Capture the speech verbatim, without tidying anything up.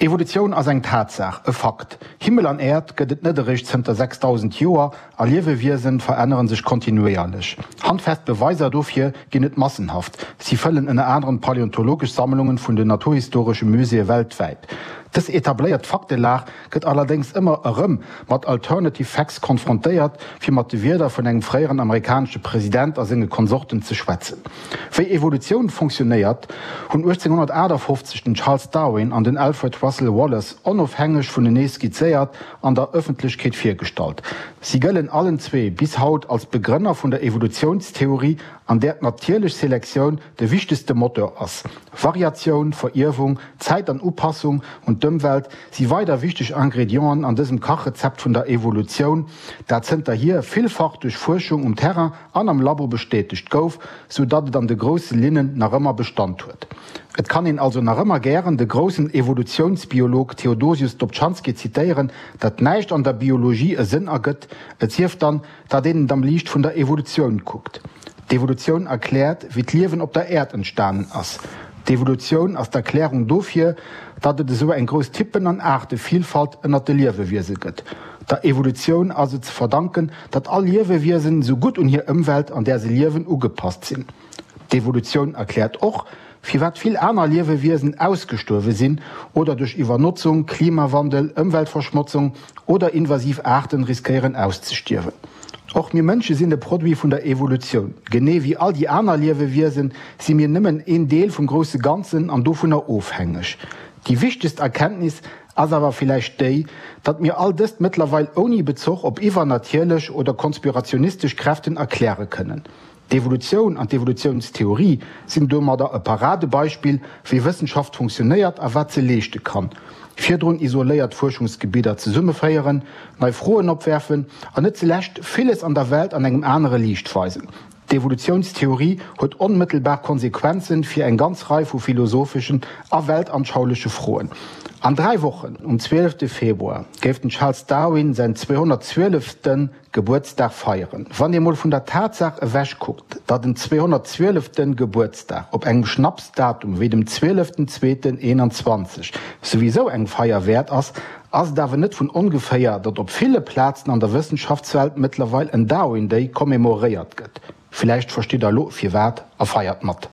Evolutioun ass eng Tatsaach, e Fakt. Himmel an Äerd gëtt et net eréischt zënter sechsdausend Joer a Liewewiesen verännere sech kontinuéierlech. Handfest Beweiser dofir ginn et massenhaft, si fëllen ënner anerem d'paläontologesch Sammlungen vun den naturhistoresche Muséeë weltwäit. Dës etabléiert Faktelag gëtt allerdéngs ëmmer erëm mat alternative facts konfrontéiert, fir mat de Wierder vun engem fréieren amerikanesche President a senge Konsorten ze schwätzen. Wéi Evolutioun funktionéiert, hunn uechtzénghonnertaachtafoffzeg den Charles Darwin an den Alfred Russel Wallace onofhängeg vunenee skizzéiert an der Ëffentlechkeet virgestallt. Si gëllen allen zwee bis haut als Begrënner vun der Evolutiounstheorie, an där d'natierlech Selektioun de wichtegste Moteur ass. Variatioun, Verierwung, Zäit an Upassung un d'Ëmwelt si weider wichteg Ingredienten an dësem Kachrezept vun der Evolutioun, dat zënterhier villfach duerch Fuerschung um Terrain an am Labo bestätegt gouf, sou datt et an de grousse Linnen nach ëmmer Bestand huet. Et kann een also nach ëmmer gären de groussen Evolutiounsbiolog Theodosius Dobzhansky zitéieren, datt näischt an der Biologie e Sënn ergëtt, et sief dann, datt een et am Liicht vun der Evolutioun kuckt. D'Evolutioun erkläert, wéi d'Liewen op der Äerd entstanen ass. D'Evolutioun ass d'Erklärung dofir, datt et esou eng grouss Typen an Aartevielfalt ënnert de Liewewiese gëtt. Der Evolutioun ass et ze verdanken, datt all Liewewiesen esou gutt un hir Ëmwelt, an där se liewen, ugepasst sinn. D'Evolutioun erkläert och, firwat vill aner Liewewiesen ausgestuerwe sinn oder duerch Iwwernotzung, Klimawandel, Ëmweltverschmotzung oder invasiv Aarten riskéieren auszestierwen. Och mir Mënsche sinn e Produit vun der Evolutioun. Genee wéi all déi aner Liewewiesen si mir nëmmen een Deel vum grousse Ganzen an dovunner ofhängeg. Déi wichtegst Erkenntnis ass awer villäicht déi, datt mir all dëst mëttlerweil ouni Bezuch op iwwernatierlech oder konspirationistesch Kräften erkläre kënnen. D'Evolutioun an d'Evolutiounstheorie sinn domadder e Paradebeispill, wéi Wëssenschaft funktionéiert a wat se leeschte kann, virdrun isoléiert Fuerschungsgebidder zesummeféieren, nei Froen opwerfen an net zulescht villes an der Welt an engem anere Liicht weisen. D'Evolutiounstheorie huet onmëttelbar Konsequenzen fir eng ganz Rei vu philosopheschen a weltanschaulesche Froen. An dräi Wochen, um zwielefte Februar, géif den Charles Darwin säin zweehonnertzwielefte Gebuertsdag feieren. Wann ee mol vun der Tatsaach ewech kuckt, datt en zweehonnertzwielefte Gebuertsdag op engem Schnapsdatum wéi dem zwieleften zweeten eenanzwanzeg souwisou eng Feier wäert ass, ass et awer net vun ongeféier, datt op ville Plazen an der Wëssenschaftswelt mëttlerweil en Darwin Day commemoréiert gëtt. Villäicht verstitt der elo firwat a feiert mat.